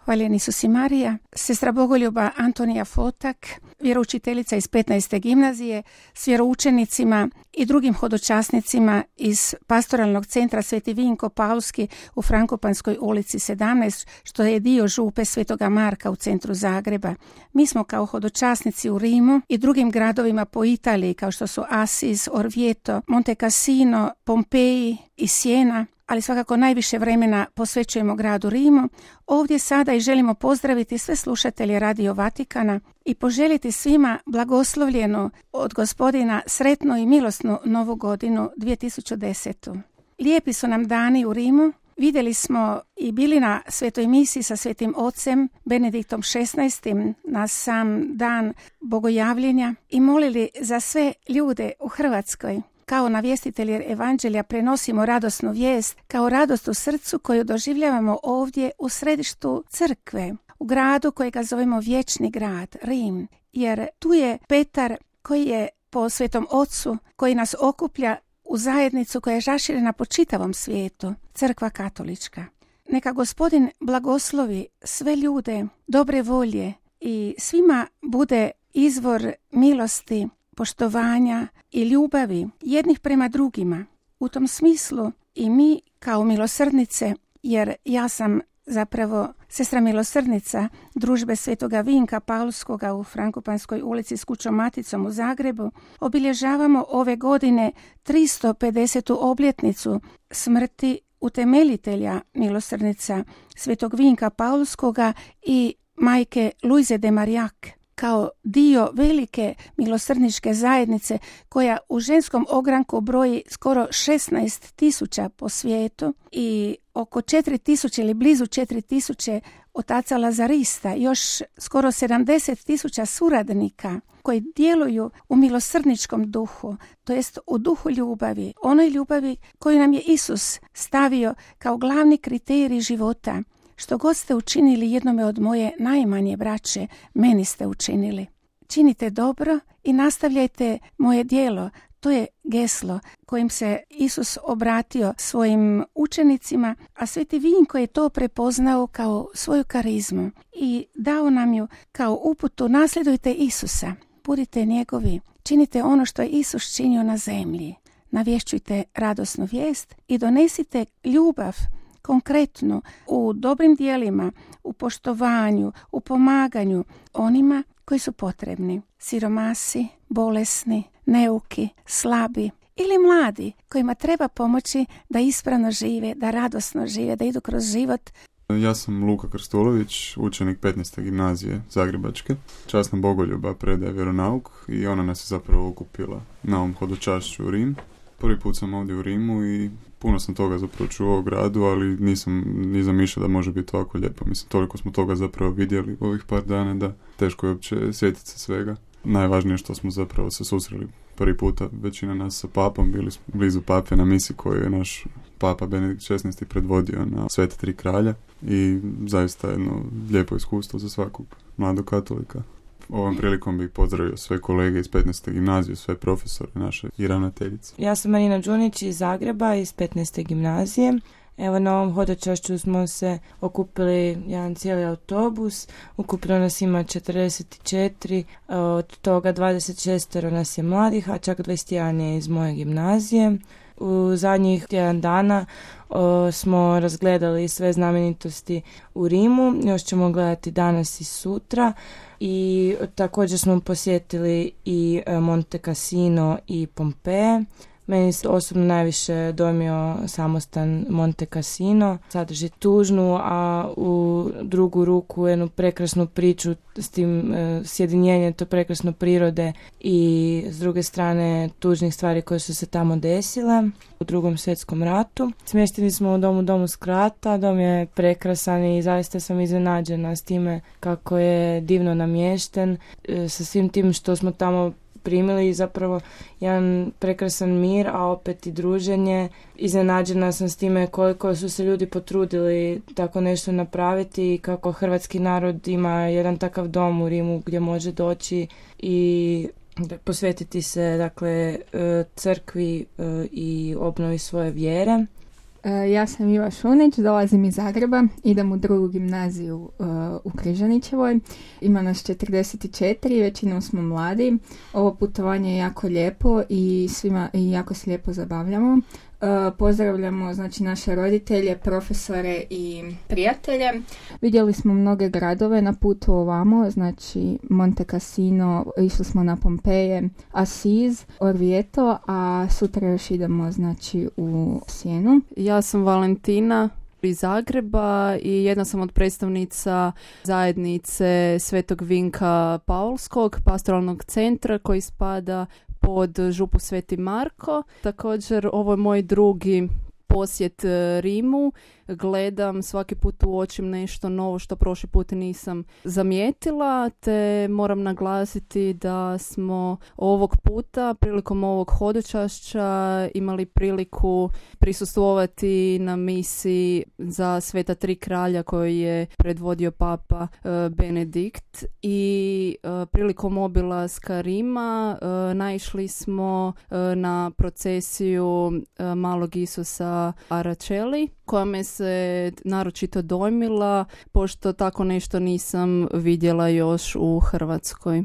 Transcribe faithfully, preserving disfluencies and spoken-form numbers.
Hvaljeni Isus i Marija, sestra Bogoljuba Antonija Fotak, vjeroučiteljica iz petnaeste gimnazije, s vjeroučenicima i drugim hodočasnicima iz pastoralnog centra Sveti Vinko Paulski u Frankopanskoj ulici sedamnaest, što je dio župe Svetoga Marka u centru Zagreba. Mi smo kao hodočasnici u Rimu i drugim gradovima po Italiji, kao što su Asis, Orvieto, Monte Cassino, Pompeji i Siena, ali svakako najviše vremena posvećujemo gradu Rimu. Ovdje sada i želimo pozdraviti sve slušatelje Radio Vatikana i poželjeti svima blagoslovljenu od Gospodina sretnu i milosnu novu godinu dvije tisuće desetu. Lijepi su nam dani u Rimu. Vidjeli smo i bili na svetoj misiji sa svetim ocem Benediktom šesnaestim na sam dan bogojavljenja i molili za sve ljude u Hrvatskoj. Kao navjestitelji evanđelja prenosimo radosnu vijest, kao radost u srcu koju doživljavamo ovdje u središtu crkve, u gradu kojega zovemo vječni grad, Rim, jer tu je Petar koji je po svetom ocu, koji nas okuplja u zajednicu koja je raširena po čitavom svijetu, crkva katolička. Neka Gospodin blagoslovi sve ljude dobre volje i svima bude izvor milosti, poštovanja i ljubavi jednih prema drugima. U tom smislu i mi kao milosrdnice, jer ja sam zapravo sestra milosrdnica družbe Svetoga Vinka Paulskoga u Frankopanskoj ulici s kućom Maticom u Zagrebu, obilježavamo ove godine tristo pedesetu obljetnicu smrti utemeljitelja milosrdnica Svetog Vinka Paulskoga i majke Luize de Marillac, kao dio velike milosrdničke zajednice koja u ženskom ogranku broji skoro šesnaest tisuća po svijetu i oko četiri tisuće ili blizu četiri tisuće otaca Lazarista, još skoro sedamdeset tisuća suradnika koji djeluju u milosrdničkom duhu, to jest u duhu ljubavi, onoj ljubavi koju nam je Isus stavio kao glavni kriterij života. Što god ste učinili jednome od moje najmanje braće, meni ste učinili. Činite dobro i nastavljajte moje djelo. To je geslo kojim se Isus obratio svojim učenicima, a Sveti Vinko je to prepoznao kao svoju karizmu i dao nam ju kao uputu: nasljedujte Isusa, budite njegovi, činite ono što je Isus činio na zemlji. Navješćujte radosnu vijest i donesite ljubav konkretno u dobrim dijelima, u poštovanju, u pomaganju onima koji su potrebni. Siromasi, bolesni, neuki, slabi ili mladi kojima treba pomoći da ispravno žive, da radosno žive, da idu kroz život. Ja sam Luka Krstulović, učenik petnaeste gimnazije Zagrebačke. Časna Bogoljuba predaje vjeronauk i ona nas je zapravo okupila na ovom hodočašću u Rim. Prvi put sam ovdje u Rimu i puno sam toga zapravo čuo u gradu, ali nisam ni zamišljao da može biti ovako lijepo. Mislim, toliko smo toga zapravo vidjeli u ovih par dana da teško je uopće sjetiti se svega. Najvažnije što smo zapravo se susreli prvi puta, većina nas sa papom, bili smo blizu pape na misi koju je naš papa Benedikt šesnaesti predvodio na Sveta tri kralja i zaista jedno lijepo iskustvo za svakog mladog katolika. Ovom prilikom bih pozdravio sve kolege iz petnaeste gimnazije, sve profesore naše i ravnateljice. Ja sam Marina Đunić iz Zagreba, iz petnaeste gimnazije. Evo, na ovom hodočašću smo se okupili jedan cijeli autobus. Ukupno nas ima četrdeset četiri, od toga dvadeset šest nas je mladih, a čak dvadeset jedan je iz moje gimnazije. U zadnjih tjedan dana o, smo razgledali sve znamenitosti u Rimu, još ćemo gledati danas i sutra. I također smo posjetili i Monte Cassino i Pompeje. Meni se osobno najviše dojmio samostan Monte Cassino. Sadrži tužnu, a u drugu ruku jednu prekrasnu priču s tim e, sjedinjenjem to prekrasno prirode i s druge strane tužnih stvari koje su se tamo desile u Drugom svjetskom ratu. Smješteni smo u domu Domus Krata, dom je prekrasan i zaista sam iznenađena s time kako je divno namješten, e, sa svim tim što smo tamo primili, zapravo jedan prekrasan mir, a opet i druženje. Iznenađena sam s time koliko su se ljudi potrudili tako nešto napraviti i kako hrvatski narod ima jedan takav dom u Rimu gdje može doći i posvetiti se, dakle, crkvi i obnovi svoje vjere. Ja sam Iva Šunić, dolazim iz Zagreba, idem u drugu gimnaziju uh, u Križanićevoj. Ima nas četrdeset četiri, većinom smo mladi. Ovo putovanje je jako lijepo i svima i jako se lijepo zabavljamo. Uh, pozdravljamo znači naše roditelje, profesore i prijatelje. Vidjeli smo mnoge gradove na putu ovamo, znači Monte Cassino, išli smo na Pompeje, Asiz, Orvieto, a sutra još idemo znači u Sijenu. Ja sam Valentina iz Zagreba i jedna sam od predstavnica zajednice Svetog Vinka Paulskog, pastoralnog centra koji spada pod župu Sveti Marko. Također ovo je moj drugi posjet Rimu. Gledam, svaki put uočim nešto novo što prošli put nisam zamijetila, te moram naglasiti da smo ovog puta prilikom ovog hodočašća imali priliku prisustvovati na misiji za Sveta tri kralja koju je predvodio Papa Benedikt i prilikom obilaska Rima naišli smo na procesiju malog Isusa Aračeli koja me se naročito dojmila, pošto tako nešto nisam vidjela još u Hrvatskoj.